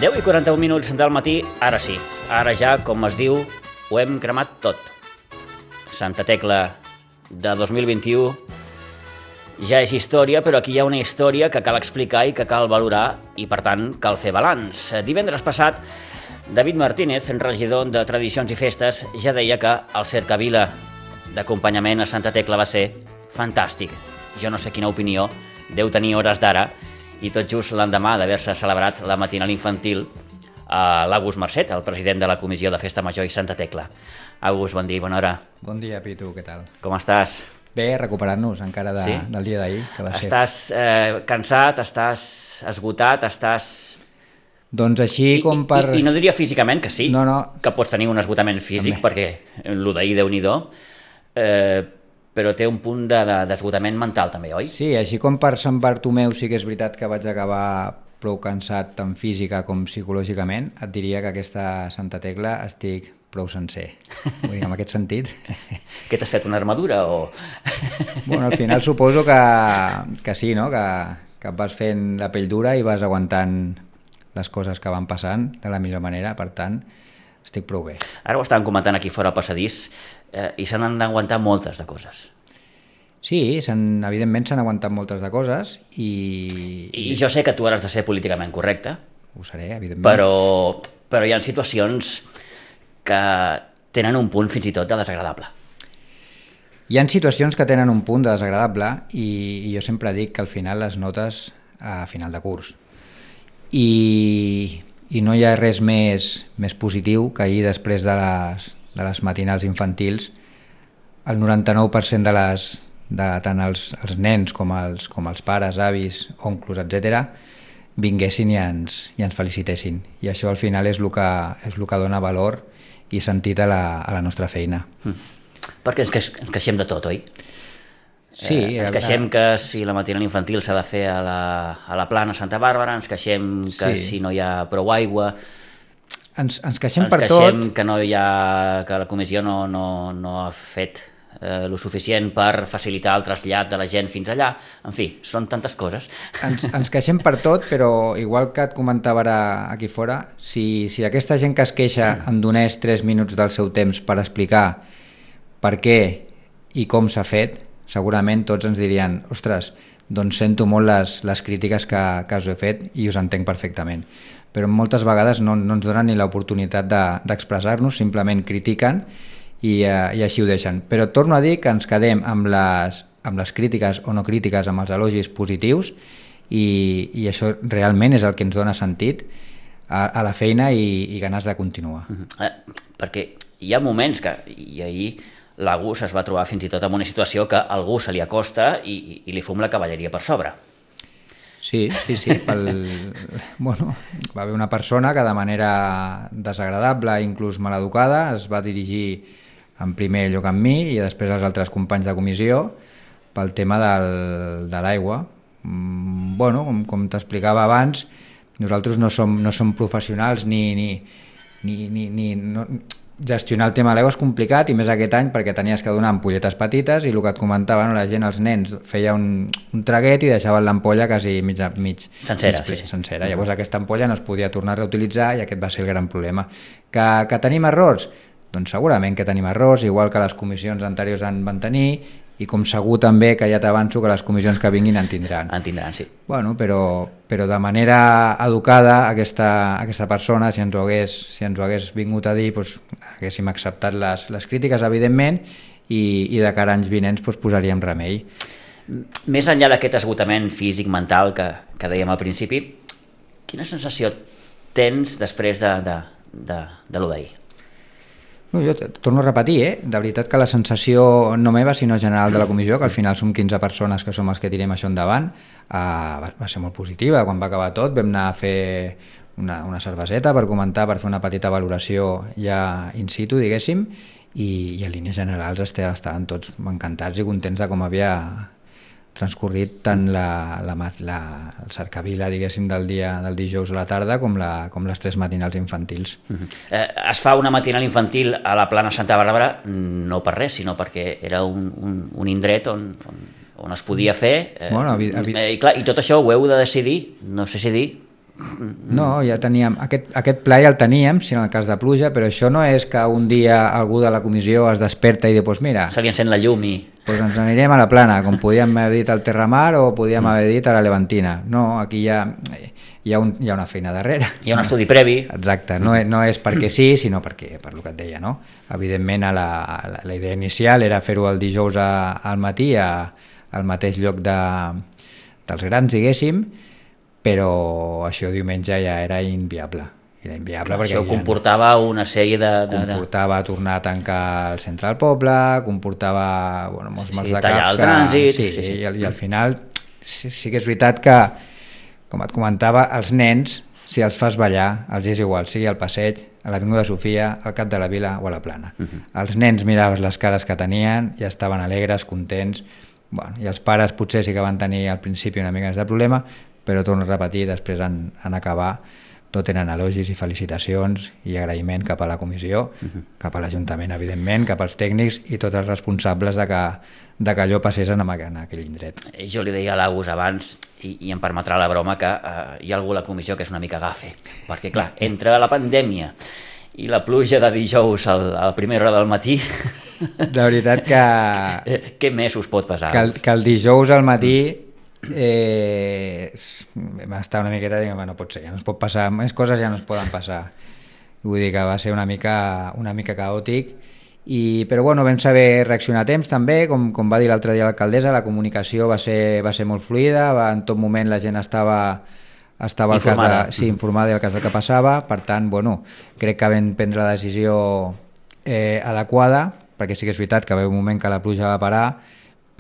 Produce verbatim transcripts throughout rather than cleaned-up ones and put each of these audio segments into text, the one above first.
deu i quaranta-un minuts del matí, ara sí, ara ja, com es diu, ho hem cremat tot. Santa Tecla de dos mil vint-i-u ja és història, però aquí hi ha una història que cal explicar i que cal valorar i, per tant, cal fer balanç. Divendres passat, David Martínez, regidor de Tradicions i Festes, ja deia que el cercavila d'acompanyament a Santa Tecla va ser fantàstic. Jo no sé quina opinió deu tenir hores d'ara, i tot just l'endemà d'haver-se celebrat la matinal infantil a l'August Marcet, el president de la Comissió de Festa Major i Santa Tecla. August, bon dia, bona hora. Bon dia, Pitu, què tal? Com estàs? Bé, recuperant-nos encara de, sí? del dia d'ahir, que va ser... Estàs eh, cansat, estàs esgotat, estàs... Doncs així I, com per... I, I no diria físicament que sí, no, no. que pots tenir un esgotament físic, també. Perquè el d'ahir, Déu-n'hi-do, eh, però té un punt de, de, d'esgotament mental també, oi? Sí, així com per Sant Bartomeu sí que és veritat que vaig acabar prou cansat tant física com psicològicament, et diria que aquesta Santa Tecla estic prou sencer. Vull dir, en aquest sentit... Què t'has fet, una armadura o...? Bueno, al final suposo que, que sí, no? Que, que vas fent la pell dura i vas aguantant les coses que van passant de la millor manera, per tant, estic prou bé. Ara ho estàvem comentant aquí fora al passadís eh, i se n'han d'aguantar moltes de coses. Sí, evidentment s'han aguantat moltes de coses i... I jo sé que tu has de ser políticament correcte. Ho seré, evidentment. Però, però hi ha situacions que tenen un punt fins i tot de desagradable. Hi ha situacions que tenen un punt de desagradable i, i jo sempre dic que al final les notes a final de curs. I, i no hi ha res més, més positiu que ahir, després de les, de les matinals infantils, el noranta-nou per cent de les, de tant els, els nens com els, com els pares, avis, oncles, etcètera, vinguessin i ens, i ens felicitessin. I això al final és el que, és el que dona valor i sentit a la, a la nostra feina. Mm. Perquè ens, queix, ens queixem de tot, oi? Sí. Eh, ens queixem que si la matinal infantil s'ha de fer a la, a la plana Santa Bàrbara, ens queixem que sí. Si no hi ha prou aigua... Ens, ens queixem ens per queixem tot... que, no hi ha, que la comissió no, no, no ha fet eh, lo suficient per facilitar el trasllat de la gent fins allà. En fi, són tantes coses. Ens, ens queixem per tot, però igual que et comentava ara aquí fora, si, si aquesta gent que es queixa em donés tres minuts del seu temps per explicar per què i com s'ha fet, segurament tots ens dirien, ostres, doncs sento molt les, les crítiques que, que us he fet i us entenc perfectament. Però moltes vegades no, no ens donen ni l'oportunitat de, d'expressar-nos, simplement critiquen i, eh, i així ho deixen. Però torno a dir que ens quedem amb les, amb les crítiques o no crítiques, amb els elogis positius i, i això realment és el que ens dona sentit a, a la feina i, i ganes de continuar. Uh-huh. Eh, perquè hi ha moments que, i ahir l'August es va trobar fins i tot en una situació que algú se li acosta i, i, i li fum la cavalleria per sobre. Sí, sí, sí. Pel... bueno, va haver una persona que de manera desagradable, inclús maleducada, es va dirigir en primer lloc amb mi i després als altres companys de comissió pel tema del, de l'aigua. Mm, bueno, com, com t'explicava abans, nosaltres no som, no som professionals ni... ni, ni, ni, ni no... gestionar el tema de l'aigua és complicat i més aquest any perquè tenies que donar ampolletes petites i el que et comentava, no, la gent, els nens feia un, un traguet i deixaven l'ampolla quasi mig, mig, sencera, mig ple, sí, sí. sencera. Llavors aquesta ampolla no es podia tornar a reutilitzar i aquest va ser el gran problema. Que, que tenim errors? Doncs segurament que tenim errors, igual que les comissions anteriors en van tenir i com segur també que ja t'avanço que les comissions que vinguin en tindran. En tindran, sí. Bueno, però, però de manera educada aquesta, aquesta persona, si ens ho hagués, si ens ho hagués vingut a dir, doncs, haguéssim acceptat les, les crítiques, evidentment, i, i de cara a anys vinents doncs, posaríem remei. Més enllà d'aquest esgotament físic, mental, que, que dèiem al principi, quina sensació tens després de, de, de, de lo d'ahir? No, jo torno a repetir, eh? De veritat que la sensació no meva sinó general de la comissió, que al final som quinze persones que som els que tirem això endavant, eh, va, va ser molt positiva. Quan va acabar tot vam anar a fer una, una cerveseta per comentar, per fer una petita valoració ja in situ, diguéssim, i, i en línies generals estaven tots encantats i contents de com havia transcorrit tant la, la, la, el cercavila, diguéssim, del dia del dijous a la tarda com, la, com les tres matinals infantils. Uh-huh. Eh, es fa una matinal infantil a la plana Santa Bàrbara no per res, sinó perquè era un, un, un indret on, on, on es podia fer. Eh, bueno, avi, avi... eh, i, clar, I tot això ho heu de decidir, no sé si dir, No, ja teníem, aquest, aquest pla ja el teníem, si en el cas de pluja, però això no és que un dia algú de la comissió es desperta i diu, pues mira, se li encén la llum i... pues ens anirem a la Plana, com podíem haver dit al Terramar o podíem mm. haver dit a la Levantina. No, aquí hi ha, hi ha, un, hi ha una feina darrere. Hi ha un estudi previ. Exacte, no, no és perquè sí, sinó perquè, per el que et deia, no? Evidentment, a la, a la, la idea inicial era fer-ho el dijous a, al matí, a, al mateix lloc de, dels grans, diguéssim, però això diumenge ja era inviable. Era inviable perquè això comportava una sèrie de... de comportava de... tornar a tancar el centre del poble, comportava bueno, molts sí, mals sí, de tallar caps. el trànsit... Sí, sí, sí. I, i al final sí, sí que és veritat que, com et comentava, els nens, si els fas ballar, els és igual, sigui al passeig, a l'Avinguda Sofia, al Cap de la Vila o a la Plana. Uh -huh. Els nens miraves les cares que tenien i estaven alegres, contents, bueno, i els pares potser sí que van tenir al principi una mica més de problema, però torno a repetir, després en, en acabar tot eren elogis i felicitacions i agraïment cap a la comissió, uh-huh. cap a l'Ajuntament, evidentment, cap als tècnics i tots els responsables de que, de que allò passés en, en aquell indret. Jo li deia a l'Agus abans, i, i em permetrà la broma, que eh, hi ha algú a la comissió que és una mica gafe, perquè clar, entre la pandèmia i la pluja de dijous al, a la primera hora del matí... De veritat que... Què més us pot passar? Que el, que el dijous al matí... Eh, m'està una miqueta dient, no pot ser, ja no es pot passar, més coses ja no es poden passar, vull dir que va ser una mica, una mica caòtic, i, però bueno, vam saber reaccionar a temps també, com, com va dir l'altre dia l'alcaldessa, la comunicació va ser, va ser molt fluida, va, en tot moment la gent estava, estava informada. Al cas de, sí, informada del cas del que passava, per tant, bueno, crec que vam prendre la decisió eh, adequada, perquè sí que és veritat que va haver un moment que la pluja va parar,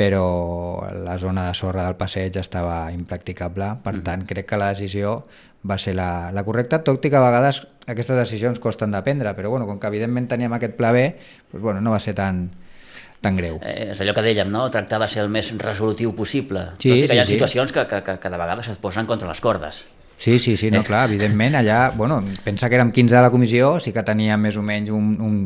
però la zona de sorra del passeig estava impracticable, per tant crec que la decisió va ser la, la correcta, tot i que a vegades aquestes decisions costen de prendre, però bueno, com que evidentment teníem aquest pla B, doncs, bueno, no va ser tan, tan greu. Eh, és allò que dèiem, no? Tractar de ser el més resolutiu possible, sí, tot i que sí, hi ha sí. situacions que, que, que, que de vegades es posen contra les cordes. Sí, sí, sí, no, clar, evidentment allà, bueno, pensa que érem quinze de la comissió, sí que teníem més o menys un... un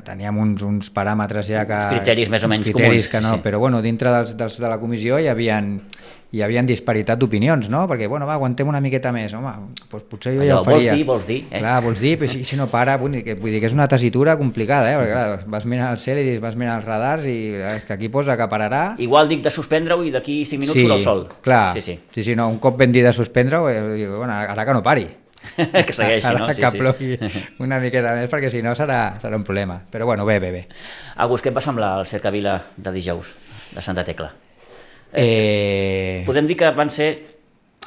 teníem uns, uns paràmetres ja que... Uns criteris més o menys criteris comuns. Que no, sí. Però bueno, dintre dels, dels de la comissió hi havia, hi havia disparitat d'opinions, no? Perquè, bueno, va, aguantem una miqueta més, home, doncs potser jo allò, ja ho faria. Vols dir, vols dir. Eh? Clar, vols dir, però si, si no para, vull dir, que, vull dir que és una tessitura complicada, eh? Perquè clar, vas mirant al cel i dius, vas mirant els radars i és que aquí posa que pararà... Igual dic de suspendre-ho i d'aquí cinc minuts sí, surt el sol. Clar, sí, sí. sí, sí, no, un cop ben dit de suspendre-ho, eh, bueno, ara que no pari. que segueixi, ara, no? Sí, que sí. plogui una miqueta més, perquè si no serà, serà un problema. Però bueno, bé, bé, bé. Agus, què et va semblar el cercavila de dijous de Santa Tecla? Eh... Podem dir que van ser,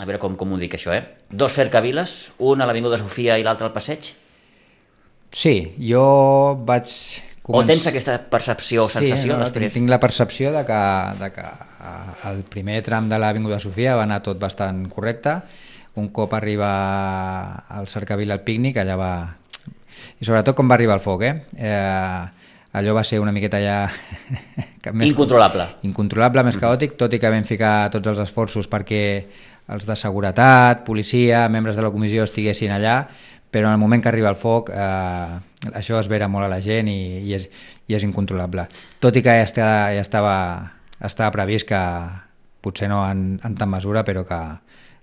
a veure com, com ho dic això, eh? Dos cercaviles, un a l'Avinguda Sofia i l'altre al passeig? Sí, jo vaig... Començ... O tens aquesta percepció o sensació? Sí, no, després? Tinc, tinc la percepció de que, de que el primer tram de l'Avinguda Sofia va anar tot bastant correcte. Un cop arriba al cercavila al pícnic, allà va... I sobretot com va arribar el foc, eh? eh allò va ser una miqueta ja... més... Incontrolable. Incontrolable, més caòtic, tot i que vam ficar tots els esforços perquè els de seguretat, policia, membres de la comissió estiguessin allà, però en el moment que arriba el foc eh, això es vera molt a la gent i, i, és, i és incontrolable. Tot i que ja, està, ja estava, estava previst que potser no en, en tant mesura, però que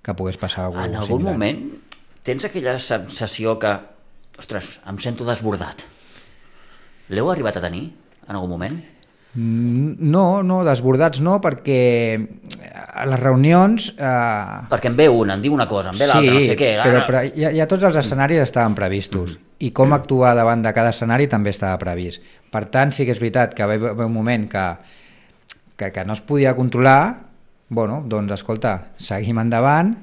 que pogués passar alguna cosa en algun similar. moment tens aquella sensació que, ostres, em sento desbordat. L'heu arribat a tenir en algun moment? No, no, desbordats no, perquè a les reunions... Eh... Perquè en ve una, en diu una cosa, en ve l'altra, sí, no sé què. Sí, però, però ja, ja tots els escenaris estaven previstos mm-hmm. i com actuar davant de cada escenari també estava previst. Per tant, sí que és veritat que va haver un moment que, que, que no es podia controlar. Bueno, doncs escolta, seguim endavant,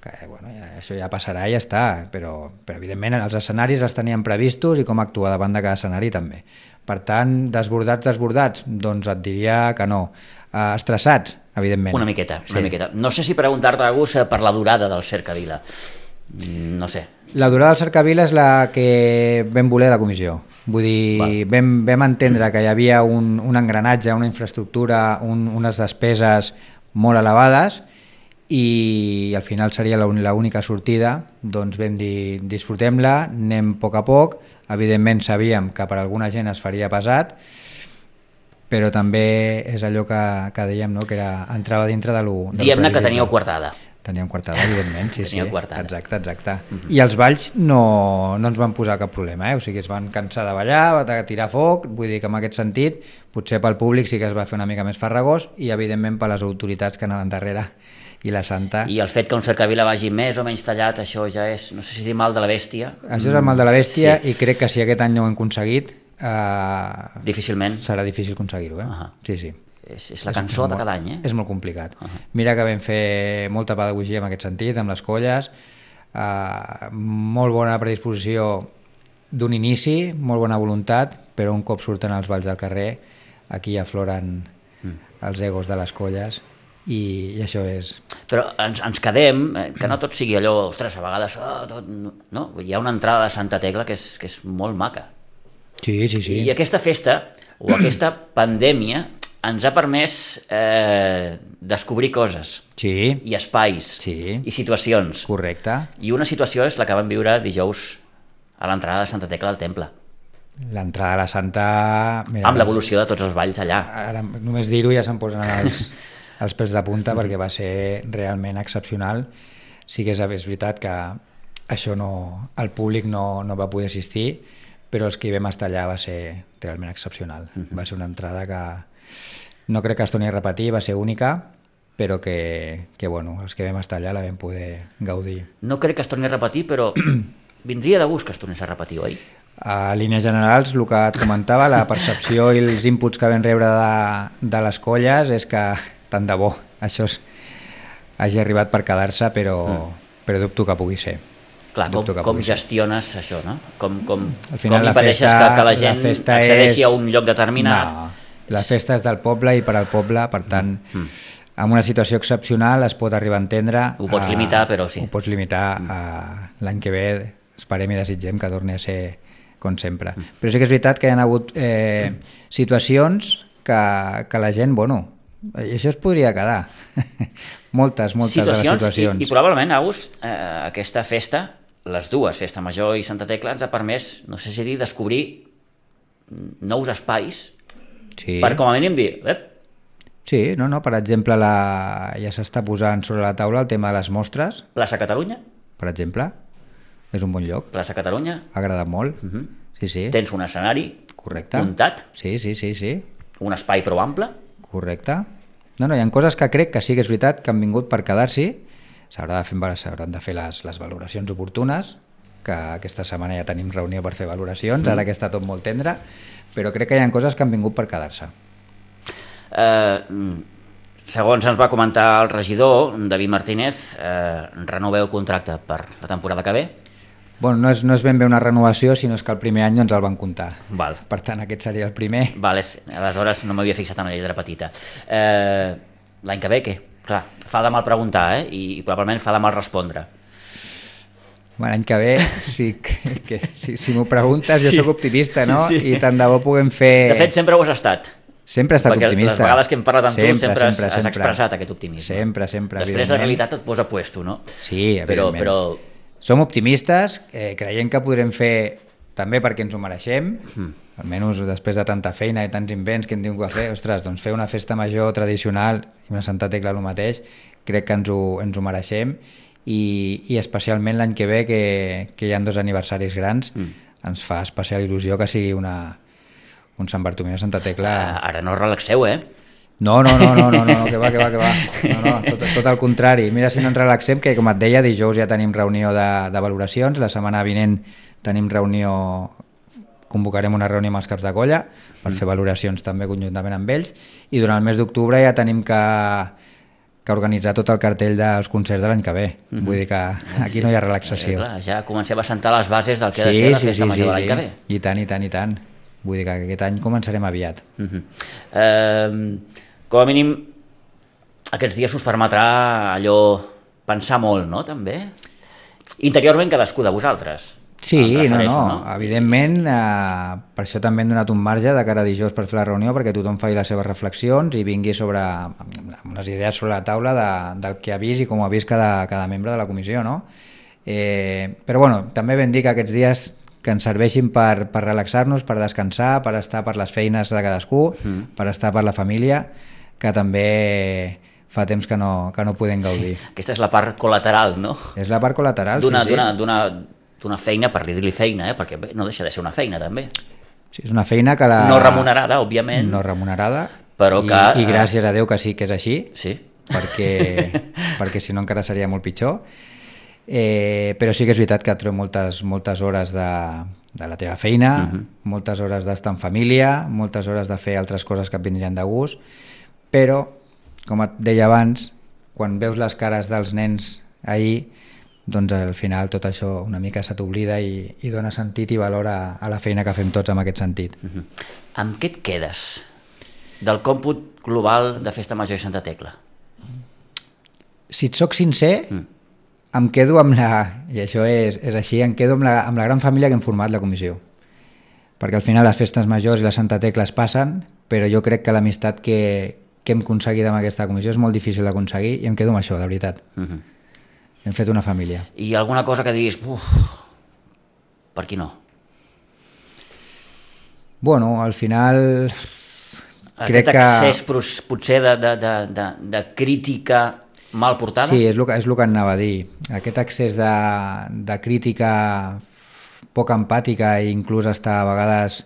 que bueno, ja, això ja passarà i ja està, però, però evidentment els escenaris els teníem previstos i com actuar davant de cada escenari també. Per tant, desbordats, desbordats, doncs et diria que no. Uh, estressats, evidentment. Una miqueta, una sí. miqueta. No sé si preguntar-te, Agus, per la durada del cercavila. No sé. La durada del cercavila és la que vam voler la comissió. Vull dir, vam, vam entendre que hi havia un, un engranatge, una infraestructura, un, unes despeses molt elevades i al final seria l'única sortida, doncs vam dir disfrutem-la, anem a poc a poc, evidentment sabíem que per alguna gent es faria pesat, però també és allò que, que dèiem, no? Que era, entrava dintre de lo... Diguem-ne que teníeu coartada. Teníem coartada, evidentment, sí, Teníeu sí. coartada. Exacte, exacte. Uh-huh. I els balls no, no ens van posar cap problema, eh? O sigui, es van cansar de ballar, de tirar foc, vull dir que en aquest sentit, potser pel públic sí que es va fer una mica més farragós i evidentment per les autoritats que anaven darrere i la Santa. I el fet que un cercavila vagi més o menys tallat, això ja és, no sé si dir mal de la bèstia. Això és el mal de la bèstia, sí. I crec que si aquest any no ho hem aconseguit, eh, difícilment serà difícil aconseguir-ho, eh? Uh-huh. Sí, sí. És, és la cançó és de cada any, eh? És molt complicat. Uh-huh. Mira que vam fer molta pedagogia en aquest sentit, amb les colles, eh, molt bona predisposició d'un inici, molt bona voluntat, però un cop surten els balls del carrer, aquí afloren mm. els egos de les colles, i, i això és... Però ens, ens quedem, eh, que no tot sigui allò, ostres, a vegades, oh, tot, no? Hi ha una entrada de Santa Tecla que és, que és molt maca. Sí, sí, sí. I aquesta festa, o aquesta pandèmia, ens ha permès eh, descobrir coses, sí. I espais, sí. I situacions. Correcte. I una situació és la que vam viure dijous a l'entrada de Santa Tecla al temple. L'entrada de la Santa... Mira, amb l'evolució de tots els balls allà. Ara, només dir-ho ja se'm posen els, els pèls de punta perquè va ser realment excepcional. Sí que és, és veritat que això no, el públic no, no va poder assistir, però els que hi vam estar allà va ser realment excepcional. Uh-huh. Va ser una entrada que no crec que es torni a repetir, va ser única, però que, que bueno, els que vam estar allà la vam poder gaudir. No crec que es torni a repetir, però vindria de gust que es tornés a repetir, oi? A línies generals, el que et comentava, la percepció i els inputs que vam rebre de, de les colles és que, tant de bo, això és, hagi arribat per quedar-se, però, mm. però dubto que pugui ser. Clar, com, com gestiones ser. Això, no? Com, com, final, com impedeixes festa, que, que la gent la accedeixi és... a un lloc determinat? No, la festa és del poble i per al poble, per tant, mm. en una situació excepcional es pot arribar a entendre... Ho pots a, limitar, però sí. Ho pots limitar a l'any que ve, esperem i desitgem que torni a ser com sempre. Mm. Però sí que és veritat que hi ha hagut eh, situacions que, que la gent, bueno, això es podria quedar. moltes, moltes situacions, de les situacions. I, i probablement, Agus, eh, aquesta festa, les dues, Festa Major i Santa Tecla, ens ha permès, no sé si dir, descobrir nous espais sí. per com a mínim dir... Ep. Sí, no, no, per exemple, la, ja s'està posant sobre la taula el tema de les mostres. Plaça Catalunya? Per exemple, és un bon lloc. Plaça Catalunya? Ha agradat molt, uh-huh. sí, sí. Tens un escenari correcte. Muntat? Sí, sí, sí, sí. Un espai prou ample? Correcte. No, no, hi ha coses que crec que sí que és veritat que han vingut per quedar-s'hi. S'haurà de fer, s'hauran de fer les, les valoracions oportunes, que aquesta setmana ja tenim reunió per fer valoracions, mm. ara que està tot molt tendre, però crec que hi ha coses que han vingut per quedar-se. Eh, segons ens va comentar el regidor, David Martínez, eh, renoveu contracte per la temporada que ve? Bueno, no és, no és ben bé una renovació, sinó és que el primer any no ens el van comptar. Val. Per tant, aquest seria el primer. Val, és, aleshores no m'havia fixat en la lletra petita. Eh, l'any que ve, què? Clar, fa de mal preguntar, eh? I, i probablement fa de mal respondre. L'any que ve, sí, que, que, si, si m'ho preguntes, jo sí. Soc optimista, no? Sí. I tant de bo puguem fer... De fet, sempre ho has estat. Sempre he estat perquè optimista. Les vegades que hem parlat amb sempre, tu sempre, sempre, has, has sempre. expressat aquest optimisme. Sempre, sempre. Després la realitat et posa puesto, no? Sí, evidentment. Però, però... Som optimistes, eh, creiem que podrem fer també perquè ens ho mereixem, mm. almenys després de tanta feina i tants invents que hem tingut que fer, ostres, doncs fer una festa major tradicional i una Santa Tecla el mateix, crec que ens ho, ens ho mereixem i, i especialment l'any que ve que, que hi ha dos aniversaris grans, mm. ens fa especial il·lusió que sigui una, un Sant Bartomeu de Santa Tecla. Ah, ara no relaxeu, eh? No, no, no, no, no, no, que va, que va, que va. No, no, tot, tot el contrari. Mira si no ens relaxem, que com et deia, dijous ja tenim reunió de, de valoracions, la setmana vinent tenim reunió, convocarem una reunió amb els caps de colla per mm. fer valoracions també conjuntament amb ells, i durant el mes d'octubre ja tenim que, que organitzar tot el cartell dels concerts de l'any que ve. Mm-hmm. Vull dir que aquí sí, no hi ha relaxació. Eh, clar, ja comencem a sentar les bases del que sí, ha de ser la sí, festa sí, major sí, de l'any sí. que ve. I tant, i tant, i tant. Vull dir que aquest any començarem aviat. Mm-hmm. Eh... Com a mínim, aquests dies us permetrà allò pensar molt, no?, també? Interiorment cadascú de vosaltres. Sí, no, no, no, evidentment, eh, per això també hem donat un marge de cara a dijous per fer la reunió, perquè tothom faci les seves reflexions i vingui sobre unes idees sobre la taula de, del que ha vist i com ho ha vist cada, cada membre de la comissió, no? Eh, però bueno, també vam dir que aquests dies que ens serveixin per, per relaxar-nos, per descansar, per estar per les feines de cadascú, mm. per estar per la família, que també fa temps que no, que no podem gaudir. Sí, aquesta és la part col·lateral, no? És la part col·lateral, d'una, sí, sí. D'una, d'una, d'una feina, per dir-li feina, eh? Perquè bé, no deixa de ser una feina, també. Sí, és una feina que la... No remunerada, òbviament. No remunerada, però i, que... i gràcies a Déu que sí que és així, sí. perquè, perquè si no encara seria molt pitjor. Eh, però sí que és veritat que et trobem moltes, moltes hores de, de la teva feina, uh-huh. moltes hores d'estar en família, moltes hores de fer altres coses que et vindrien de gust, però, com et deia abans, quan veus les cares dels nens ahir, doncs al final tot això una mica se t'oblida i, i dona sentit i valor a, a la feina que fem tots en aquest sentit. Uh-huh. Amb què et quedes del còmput global de Festa Major i Santa Tecla? Si et soc sincer, mm. em quedo amb la, i això és, és així, em quedo amb la, amb la gran família que hem format la comissió. Perquè al final les festes majors i la Santa Tecla es passen, però jo crec que l'amistat que, que hem aconseguit amb aquesta comissió és molt difícil d'aconseguir i em quedo amb això, de veritat. Uh-huh. Hem fet una família. I alguna cosa que diguis, uf, per aquí no? Bueno, al final... Aquest crec accés que... potser de, de, de, de, de crítica mal portada? Sí, és el, és el que anava a dir. Aquest accés de, de crítica poc empàtica i inclús està a vegades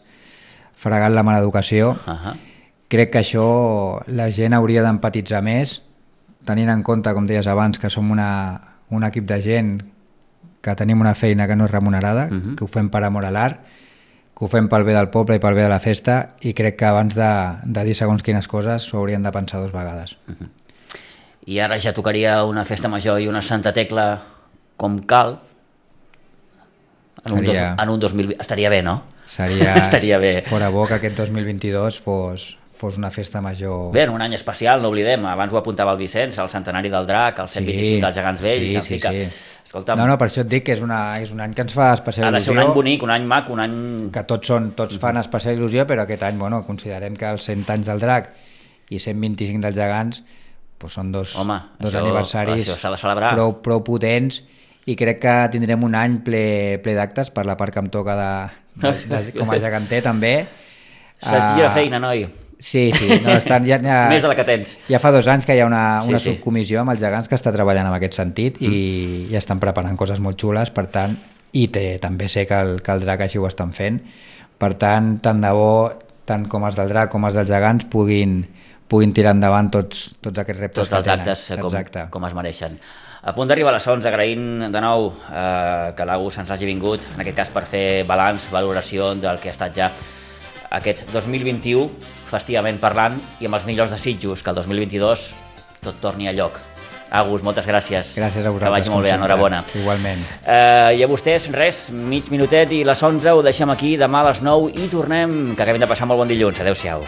fregant la mala educació, uh-huh. crec que això la gent hauria d'empatitzar més, tenint en compte, com deies abans, que som una, un equip de gent que tenim una feina que no és remunerada, uh-huh. que ho fem per amor a l'art, que ho fem pel bé del poble i pel bé de la festa, i crec que abans de, de dir segons quines coses s'ho haurien de pensar dues vegades. Uh-huh. I ara ja tocaria una festa major i una Santa Tecla com cal en un, seria, dos, en un dos mil vint. Estaria bé, no? Seria, Estaria bé. Fora bo que aquest dos mil vint-i-dos fos, fos una festa major... Bé, en un any especial, no oblidem, abans ho apuntava el Vicenç, el centenari del Drac, el cent vint-i-cinc sí, dels Gegants Vells, sí, sí, sí. Escolta'm, no, no, per això et dic que és, una, és un any que ens fa especial il·lusió. Ha de ser un any bonic, un any mac, un any... Que tots, són, tots fan especial il·lusió, però aquest any, bueno, considerem que els cent anys del Drac i cent vint-i-cinc dels Gegants pues són dos, Home, dos això, aniversaris això s'ha de celebrar. Prou, prou potents, i crec que tindrem un any ple, ple d'actes per la part que em toca de, de, de, com a geganter també. Se'ls gira feina, noi. Sí, sí. No, estan, ja, ja, Més de la que tens. Ja fa dos anys que hi ha una, una sí, sí. subcomissió amb els gegants que està treballant en aquest sentit mm. i, i estan preparant coses molt xules, per tant, i té, també sé que el, que el Drac així ho estan fent. Per tant, tant de bo, tant com els del Drac com els dels gegants puguin puguin tirar endavant tots, tots aquests reptes tots els actes com, com es mereixen. A punt d'arribar a les onze, agraint de nou eh, que l'Agus ens hagi vingut, en aquest cas per fer balanç, valoració del que ha estat ja aquest dos mil vint-i-u, festivament parlant, i amb els millors desitjos, que el dos mil vint-i-dos tot torni a lloc. Agus, moltes gràcies. Gràcies a vosaltres. Que vagi molt bé, enhorabona. Igualment. Eh, I a vostès, res, mig minutet i les onze ho deixem aquí, demà a les nou i tornem, que acabem de passar molt bon dilluns. Adéu-siau.